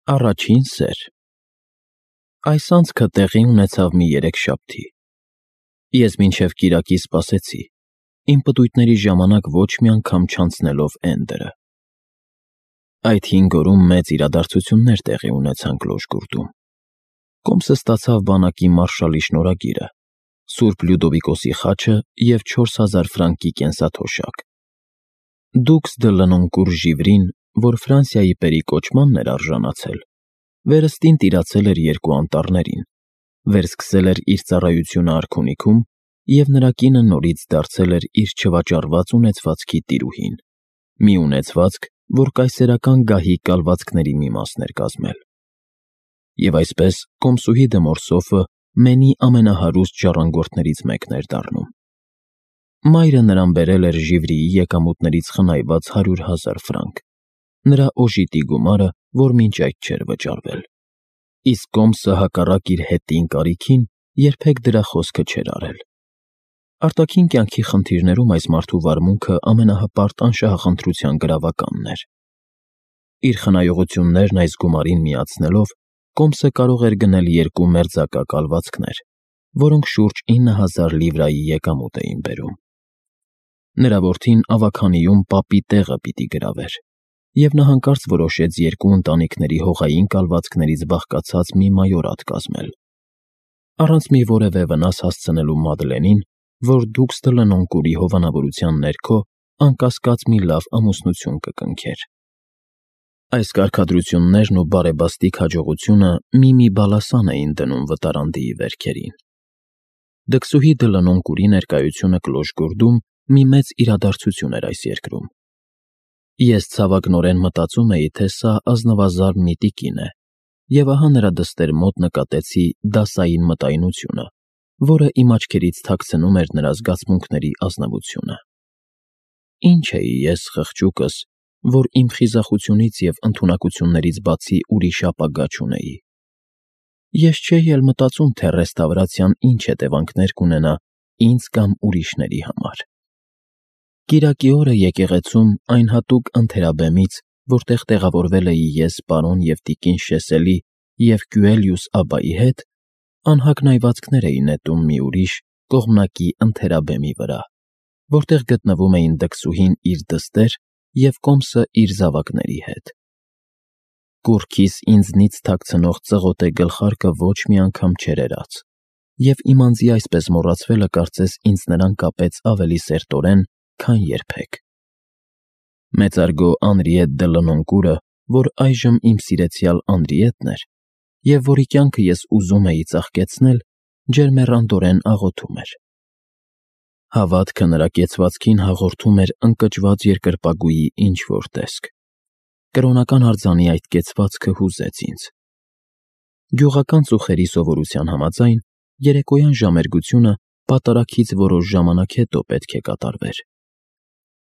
Առաջին սեր Այս անցքը տեղի ունեցավ մի երեքշաբթի։ Ես մինչև կիրակի սպասեցի, իմ պտույտների ժամանակ ոչ մի անգամ չանցնելով Էնդերը։ Այդ 5 օրում մեծ իրադարձություններ տեղի ունեցան Կլոժգուրդում։ Կոմսը ստացավ բանակի մարշալի շնորհագիրը, Սուրբ Լյուդովիկոսի խաչը և 4000 ֆրանկի կենսաթոշակ։ Դուքս դը Լնոնկուր Ժիվրին, որ Ֆրանսիայի պերիկոչմանն էր արժանացել, վերստին տիրացել էր 2 անտառներին, վերսկսել էր իր ծառայությունը արքունիքում և նրա կինը նորից դարձել էր իր չվաճառված ունեցվածքի տիրուհին, մի ունեցվածք, որ կայսերական գահի կալվածքների մի մասն էր կազմել։ Եվ այսպես կոմսուհի դը Մորսոֆը Մենի ամենահարուստ ժառանգորդներից մեկն էր դառնում։ Մայրը նրան բերել էր Ժիվրիի եկամուտներից խնայված 100,000 ֆրանկ, նրա օժիտի գումարը, որ մինչ այդ չէր վճարվել։ Իսկ կոմսը հակառակ իր հետին կարիքին երբեք դրա խոսքը չէր արել։ Արտաքին կյանքի խնդիրներում այս մարդու վարմունքը ամենահպարտ անշահախնդրության գրավականն էր։ Իր խնայողություններն այս գումարին միացնելով, կոմսը կարող էր գնել 2 մերձակա կալվածքներ, որոնք շուրջ 9000 լիվրայի եկամուտ էին բերում։ Նրա որդին ավագանիում պապի տեղը պիտի գրավեր, և նա հանկարծ որոշեց 2 ընտանիքների հողային կալվածքներից բաղկացած մի մայորատ կազմել, առանց մի որևէ վնաս հասցնելու Մադլենին, որ դուքս դը Լնոնկուրի հովանավորության ներքո անկասկած մի լավ ամուսնություն կկնքեր։ Այս կարգադրություններն ու բարեբաստիկ հաջողությունը մի բալասան էին դնում վտարանդիի վերքերին։ Դքսուհի դը Լնոնկուրի ներկայությունը Կլոժգուրդում մի մեծ իրադարձություն էր այս երկրում։ Ես ցավակնորեն մտածում էի, թե սա ազնվազարդ մի տիկին է, և ահա նրա դստեր մոտ նկատեցի դասային մտայնությունը, որը իմ աչքերից թաքցնում էր նրա զգացմունքների ազնվությունը։ Ինչ էի ես, խղճուկս, որ իմ խիզախությունից և ընդունակություններից բացի ուրիշ ապագա չունեի։ Ես չէի էլ մտածում, թե ռեստավրացիան ինչ հետևանքներ կունենա ինձ կամ ուրիշների համար։ Կիրակի օրը եկեղեցում այն հատուկ ընթերաբեմից, որտեղ տեղավորվել էի ես պարոն և տիկին Շեսելի և Կյուելյուս Աբբայի հետ, անհագնայվածքներ էի նետում մի ուրիշ կողմնակի ընթերաբեմի վրա, որտեղ գտնվում էին դքսուհին իր դստեր և կոմսը իր զավակների հետ։ Կուռքիս ինձնից թաքցնող ծղոտե գլխարկը ոչ մի անգամ չէր էրած, և իմ անձի այսպես մոռացվելը կարծես ինձ նրան կապեց ավելի սերտորեն, քան երբեք։ Մեծարգո Անրիետ դը Լնոնկուրը, որ այժմ իմ սիրեցյալ Անրիետն էր, և որի կյանքը ես ուզում էի ծաղկեցնել, ջերմեռանդորեն աղոթում էր։ Հավատքը նրա կեցվածքին հաղորդում էր ընկճված երկրպագուի ինչ-որ տեսք։ Կրոնական արձանի այդ կեցվածքը հուզեց ինձ։ Գյուղական ծուխերի սովորության համաձայն, երեկոյան ժամերգությունը պատարագից որոշ ժամանակ հետո պետք է կատարվեր։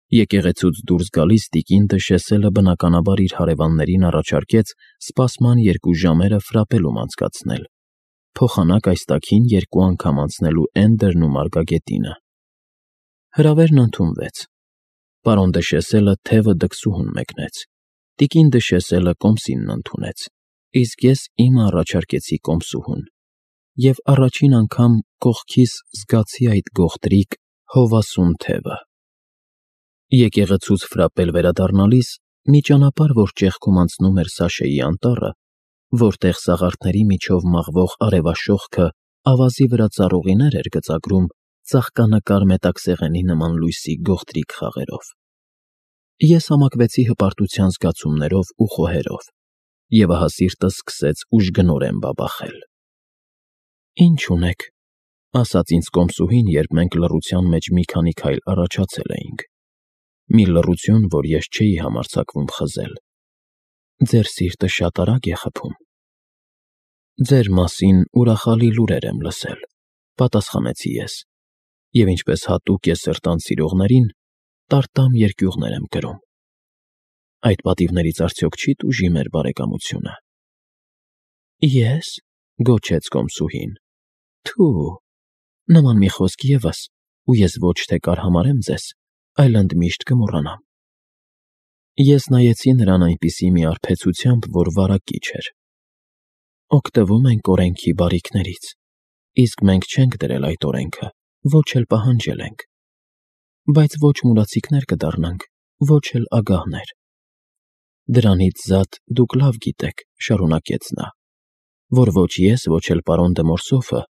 Եկեղեցուց դուրս գալիս տիկին դը Շեսելը բնականաբար իր հարևաններին առաջարկեց սպասման 2 ժամերը ֆրապելում անցկացնել, փոխանակ այս տաքին 2 անգամ անցնելու Էնդերն ու Մարգագետինը։ Հրավերն ընդունվեց։ Պարոն դը Շեսելը թևը դքսուհուն մեկնեց, տիկին դը Շեսելը կոմսինն ընդունեց, իսկ ես իմը առաջարկեցի կոմսուհուն, և առաջին անգամ կողքիս զգացի այդ գողտրիկ, հովասուն թևը։ Եկեղեցուց ֆրապել վերադառնալիս մի ճանապարհ, որ ճեղքում անցնում էր Սաշեի անտառը, որտեղ սաղարթների միջով մաղվող արևաշողքը ավազի վրա ծառուղիներ էր գծագրում ծաղկանկար մետաքսեղենի նման լույսի գողտրիկ խաղերով։ Ես համակվեցի հպարտության զգացումներով ու խոհերով, և ահա սիրտս սկսեց ուժգնորեն բաբախել։ «Ինչ ունեք», ասաց ինձ կոմսուհին, երբ մենք լռության մեջ մի քանի քայլ առաջացել էինք։ Մի լռություն, որ ես չէի համարձակվում խզել։ «Ձեր սիրտը շատ արագ է խփում»։ «Ձեր մասին ուրախալի լուրեր եմ լսել», պատասխանեցի ես, «և ինչպես հատուկ է սրտան սիրողներին, տարտամ երկյուղներ եմ կրում։ Այդ պատիվներից արդյոք չի՞ տուժի մեր բարեկամությունը»։ «Ե՞ս», գոչեց կոմսուհին, «թու, նման մի խոսք ևս, ու ես ոչ թե կարհամարեմ ձեզ, այլ ընդմիշտ կմոռանամ»։ Ես նայեցի նրան այնպիսի մի արբեցությամբ, որ վարակիչ էր։ Օգտվում ենք օրենքի բարիքներից, իսկ մենք չենք դրել այդ օրենքը, ոչ էլ պահանջել ենք, բայց ոչ մուրացիկներ կդառնանք, ոչ էլ ագահներ։ Դրանից զատ դուք լավ գիտեք, շարունակեց նա, որ ոչ ես, ոչ էլ պարոն դե Մորսոֆը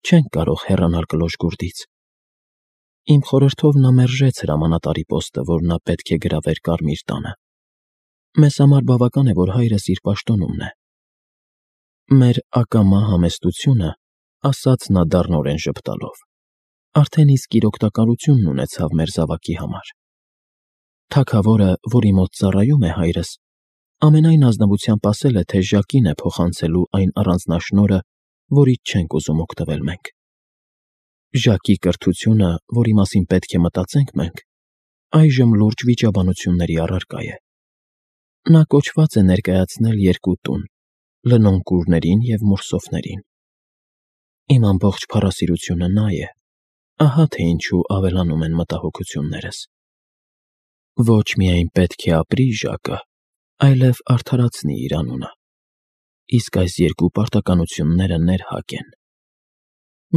չենք կարող հեռանալ կլոր գուրդից։ Իմ խորհրդով նա մերժեց հրամանատարի պոստը, որ նա պետք է գրավեր Կարմիր տանը։ Մեզ համար բավական է, որ հայրս իր պաշտոնումն է։ Մեր ակամա համեստությունը, ասաց նա դառնորեն ժպտալով, արդեն իսկ իր օգտակարությունն ունեցավ մեր զավակի համար։ Թագավորը, որի մոտ ծառայում է հայրս, ամենայն ազնվությամբ ասել է, թե Ժակին է փոխանցելու այն առանձնաշնորհը, որից չենք ուզում օգտվել մենք։ Ժակի կրթությունը, որի մասին պետք է մտածենք մենք, այժմ լուրջ վիճաբանությունների առարկա է։ Նա կոչված է ներկայացնել երկու տուն՝ լնոնկուրներին և Մորսոֆներին։ Իմ ամբողջ փառասիրությունը նա է, ահա թե ինչու ավելանում են մտահոգություններս։ Ոչ միայն պետք է ապրի Ժակը, այլև արդարացնի իր անունը։ Իսկ այս երկու պարտականությունները ներհակ են։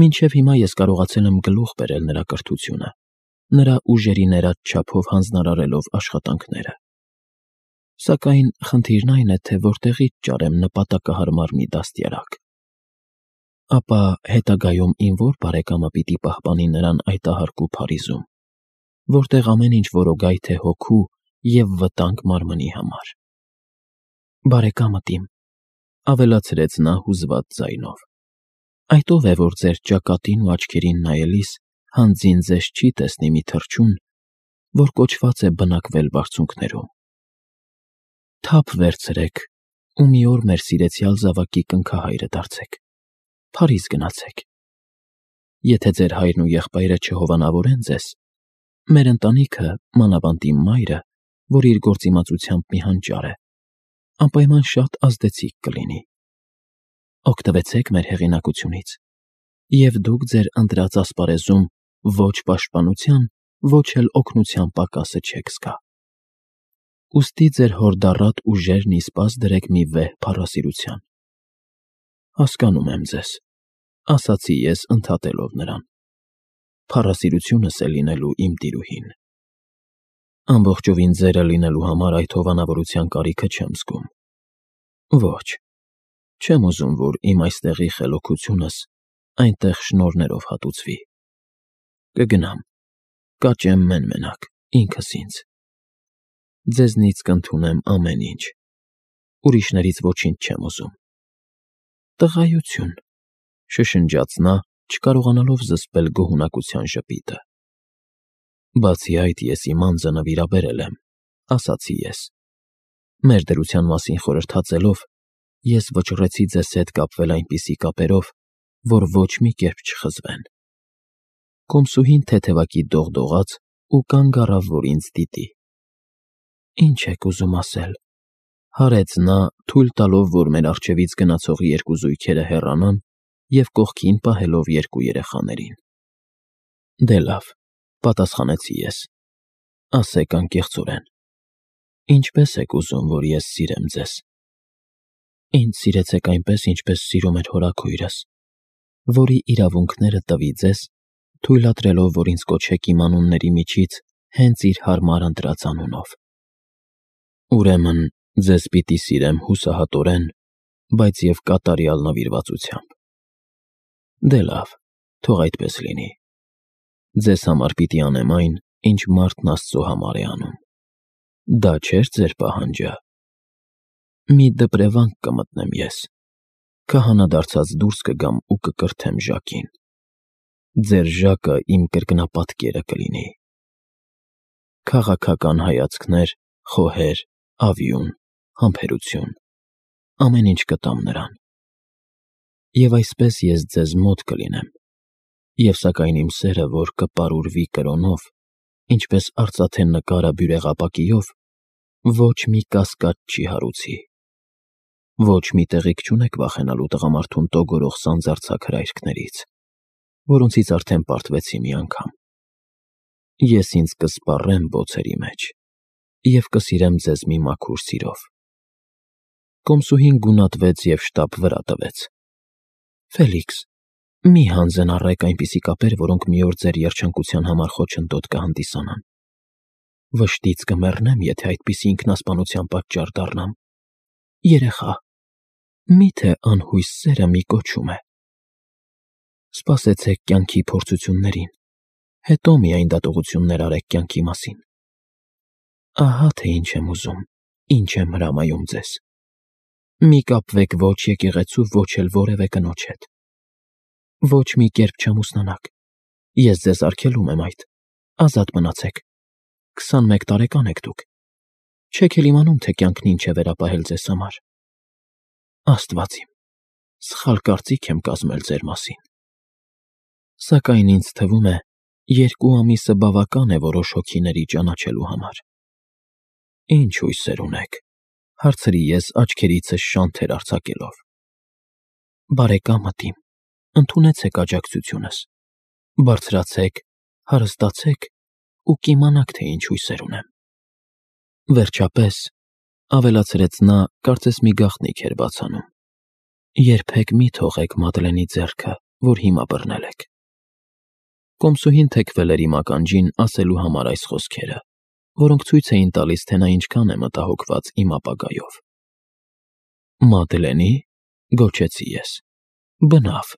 Մինչև հիմա ես կարողացել եմ գլուխ բերել նրա կրթությունը, նրա ուժերի ներած չափով հանձնարարելով աշխատանքները։ Սակայն խնդիրն այն է, թե որտեղից ճարեմ նպատակահարմար մի դաստիարակ։ Ապա հետագայում իմ ո՞ր բարեկամը պիտի պահպանի նրան այդ ահարկու Փարիզում, որտեղ ամեն ինչ որոգայթ է հոգու և վտանգ մարմնի համար։ Բարեկամդ իմ, ավելացրեց նա հուզված ձայնով, այդ ով է, որ ձեր ճակատին ու աչքերին նայելիս հանձին ձեզ չի տեսնի մի թռչուն, որ կոչված է բնակվել բարձունքներում։ Թափ վերցրեք ու մի օր մեր սիրեցյալ զավակի կնքահայրը դարձեք, Փարիզ գնացեք։ Եթե ձեր հայրն ու եղբայրը չհովանավորեն ձեզ, մեր ընտանիքը, մանավանդ իմ մայրը, որ իր գործիմացությամբ մի հանճար է, անպայման շատ ազդեցիկ կլինի։ Օգտվեցեք մեր հեղինակությունից, և դուք ձեր ընտրած ասպարեզում ոչ պաշտպանության, ոչ էլ օգնության պակասը չեք զգա։ Ուստի ձեր հորդառատ ուժերն ի սպաս դրեք մի վեհ փառասիրության։ Հասկանում եմ ձեզ, ասացի ես ընդհատելով նրան։ Փառասիրությունս է լինելու իմ տիրուհին։ Ամբողջովին ձերը լինելու համար այդ հովանավորության կարիքը չեմ զգում։ Ոչ, չեմ ուզում, որ իմ այստեղի խելոքությունս այնտեղ շնորհներով հատուցվի։ Կգնամ, կաճեմ մեն֊մենակ, ինքս ինձ։ Ձեզնից կընդունեմ ամեն ինչ, ուրիշներից ոչինչ չեմ ուզում։ Տղայություն, շշնջաց նա, չկարողանալով զսպել գոհունակության ժպիտը։ Բացի այդ, ես իմ անձը նվիրաբերել եմ, ասացի ես։ Մեր դրության մասին խորհրդածելով, ես վճռեցի ձեզ հետ կապվել այնպիսի կապերով, որ ոչ մի կերպ չխզվեն։ Կոմսուհին թեթևակի դողդողաց ու կանգ առավ, որ ինձ դիտի։ Ինչ եք ուզում ասել, հարեց նա, թույլ տալով, որ մեր առջևից գնացող երկու զույգերը հեռանան և կողքին պահելով երկու երեխաներին։ Դե լավ, պատասխանեցի ես, ասեք անկեղծորեն, ինչպես եք ուզում, որ ես սիրեմ ձեզ։ Ինձ սիրեցեք այնպես, ինչպես սիրում էր հորաքույրս, որի իրավունքները տվի ձեզ, թույլատրելով, որ ինձ կոչեք իմ անունների միջից հենց իր հարմար ընտրած անունով։ Ուրեմն ձեզ պիտի սիրեմ հուսահատորեն, բայց և կատարյալ նվիրվածությամբ։ Դե լավ, թող այդպես լինի։ Ձեզ համար պիտի անեմ այն, ինչ մարդն Աստծո համար է անում։ Դա չէ՞ր ձեր պահանջը։ Մի դպրևանք կմտնեմ ես, քահանադարձած դուրս կգամ ու կկրթեմ Ժակին։ Ձեր Ժակը իմ կրկնապատկերը կլինի։ Քաղաքական հայացքներ, խոհեր, ավյուն, համբերություն, ամեն ինչ կտամ նրան։ Եվ այսպես ես ձեզ մոտ կլինեմ, և սակայն իմ սերը, որ կպարուրվի կրոնով, ինչպես արծաթե նկարը բյուրեղապակիով, ոչ մի կասկած չի հարուցի։ Ոչ մի տեղիք չունեք վախենալու տղամարդուն տոգորող սանձարձակ հրայրքներից, որոնցից արդեն պարտվեցի մի անգամ։ Ես ինձ կսպառեմ բոցերի մեջ և կսիրեմ ձեզ մի մաքուր սիրով։ Կոմսուհին գունատվեց և շտապ վրա տվեց. Ֆելիքս, մի հանձնարարեք այնպիսի կապեր, որոնք մի օր ձեր երջանկության համար խոչընդոտ կհանդիսանան։ Վշտից կմեռնեմ, եթե այդպիսի ինքնասպանության պատճառ դառնամ։ Երեխա, միթե անհույս սերը մի կոչում է։ Սպասեցեք կյանքի փորձություններին, հետո միայն դատողություններ արեք կյանքի մասին։ Ահա թե ինչ եմ ուզում, ինչ եմ հրամայում ձեզ։ Մի կապվեք ոչ եկեղեցու, ոչ էլ որևէ կնոջ հետ։ Ոչ մի կերպ չամուսնանաք։ Ես ձեզ արգելում եմ այդ։ Ազատ մնացեք։ 21 տարեկան եք դուք։ Չեք էլ իմանում, թե կյանքն ինչ է վերապահել ձեզ համար։ Աստված իմ, սխալ կարծիք եմ կազմել ձեր մասին։ Սակայն ինձ թվում է, 2 ամիսը բավական է որոշ հոգիների ճանաչելու համար։ Ինչ հույսեր ունեք, հարցրի ես աչքերիցս շանթեր արձակելով։ Բարեկամդ իմ, ընդունեցեք աջակցությունս, բարձրացեք, հարստացեք ու կիմանաք, թե ինչ հույսեր ունեմ։ Վերջապես, ավելացրեց նա, կարծես մի գաղտնիք էր բացանում, երբեք մի թողեք Մադլենի ձեռքը, որ հիմա բռնել եք։ Կոմսուհին թեքվել էր իմ ականջին ասելու համար այս խոսքերը, որոնք ցույց էին տալիս, թե նա ինչքան է մտահոգված իմ ապագայով։ Մադլենի, գոչեցի ես։ Բնավ։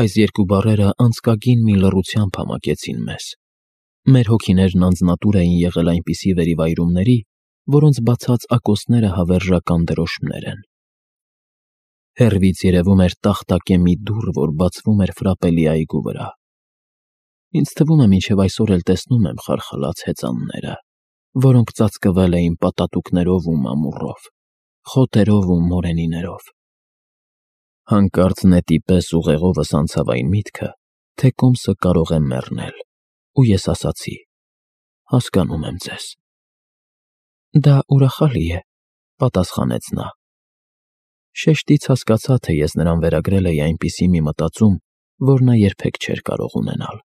Այս 2 բառերը անցկագին մի լռությամբ համակեցին մեզ։ Մեր հոգիներն անձնատուր էին եղել այնպիսի վերիվայրումների, որոնց բացած ակոսները հավերժական դրոշմներ են։ Հեռվից երևում էր տախտակե մի դուռ, որ բացվում էր Ֆրապելի այգու վրա։ Ինձ թվում է, մինչև այսօր էլ տեսնում եմ խարխլած հեծանները, որոնք ծածկվել էին պատատուկներով ու մամուռով, խոտերով ու մորենիներով։ Հանկարծ նետի պես ուղեղովս անցավ այն միտքը, թե Կոմսը կարող է մեռնել, ու ես ասացի. հասկանում եմ ձեզ։ Դա ուրախալի է, պատասխանեց նա։ Շեշտից հասկացա, թե ես նրան վերագրել էի այնպիսի մի մտածում, որ նա երբեք չէր կարող ունենալ։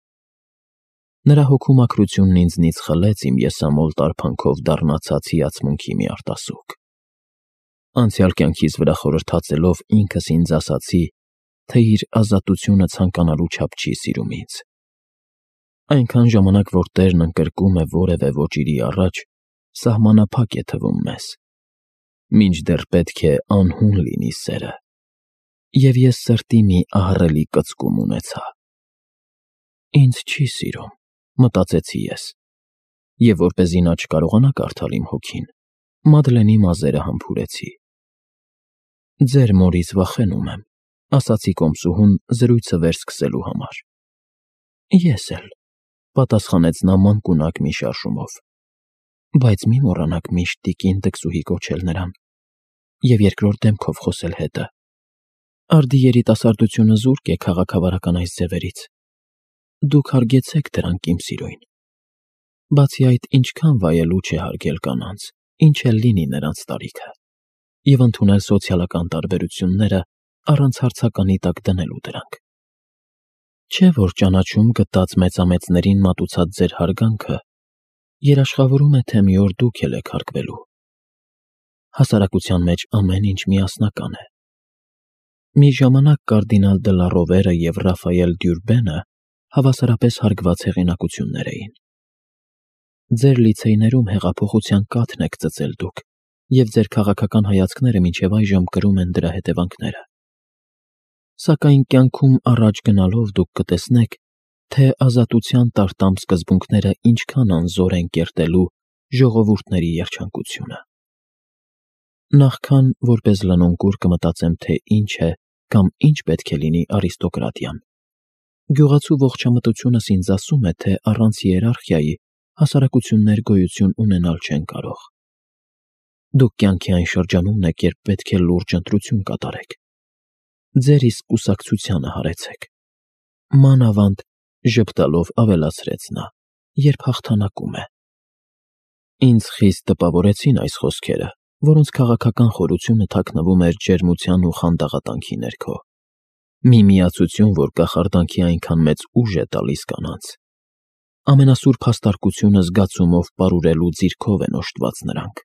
Նրա հոգու մաքրությունն ինձնից խլեց իմ եսամոլ տարփանքով դառնացած հիացմունքի մի արտասուք։ Անցյալ կյանքիս վրա խորհրդածելով ինքս ինձ ասացի, թե իր ազատությունը ցանկանալու չափ չի սիրում ինձ։ Այնքան ժամանակ, որ Տերն ընկրկում է որևէ ոճիրի առաջ, սահմանափակ է թվում մեզ։ Մինչդեռ պետք է անհուն լինի սերը։ Եվ ես սրտի մի ահռելի կծկում ունեցա։ Ինձ չի սիրում, մտածեցի ես, և որպեսզի նա չկարողանա կարդալ իմ հոգին, Մադլենի մազերը համբուրեցի։ Ձեր մորից վախենում եմ, ասացի Կոմսուհուն զրույցը վերսկսելու համար։ Ես էլ, պատասխանեց նա մանկունակ մի շարժումով, բայց մի մոռանաք միշտ տիկին դքսուհի կոչել նրան և երկրորդ դեմքով խոսել հետը։ Արդի երիտասարդությունը զուրկ է քաղաքավարական այս ձևերից։ Դուք հարգեցեք դրանք, իմ սիրուն։ Բացի այդ, ինչքան վայելուչ է հարգել կանանց, ինչ էլ լինի նրանց տարիքը, և ընդունել սոցիալական տարբերությունները առանց հարցականի տակ դնելու դրանք։ Չէ՞ որ ճանաչում գտած մեծամեծներին մատուցած ձեր հարգանքը երաշխավորում է, թե մի օր դուք էլ եք հարգվելու։ Հասարակության մեջ ամեն ինչ միասնական է։ Մի ժամանակ կարդինալ դը լա Ռովերը և Ռաֆայել Դյուրբենը հավասարապես հարգված հեղինակություններ էին։ Ձեր լիցեյներում հեղափոխության կաթն եք ծծել դուք, և ձեր քաղաքական հայացքները մինչև այժմ կրում են դրա հետևանքները։ Սակայն կյանքում առաջ գնալով դուք կտեսնեք, թե ազատության տարտամ սկզբունքները ինչքան անզոր են կերտելու ժողովուրդների երջանկությունը։ Նախքան որպես լնոնկուր կմտածեմ, թե ինչ է կամ ինչ պետք է լինի արիստոկրատիան, գյուղացու ողջամտությունս ինձ ասում է, թե առանց հիերարխիայի հասարակություններ գոյություն ունենալ չեն կարող։ Դուք կյանքի այն շրջանում եք, երբ պետք է լուրջ ընտրություն կատարեք։ Ձեր իսկ կուսակցությանը հարեցեք։ Մանավանդ, ժպտալով ավելացրեց նա, երբ հաղթանակում է։ Ինձ խիստ տպավորեցին այս խոսքերը, որոնց քաղաքական խորությունը թաքնվում էր ջերմության ու խանդաղատանքի ներքո։ Մի միացություն, որ կախարդանքի այնքան մեծ ուժ է տալիս կանանց։ Ամենասուրբ հաստարկությունը զգացումով պարուրելու ձիրքով են օժտված նրանք։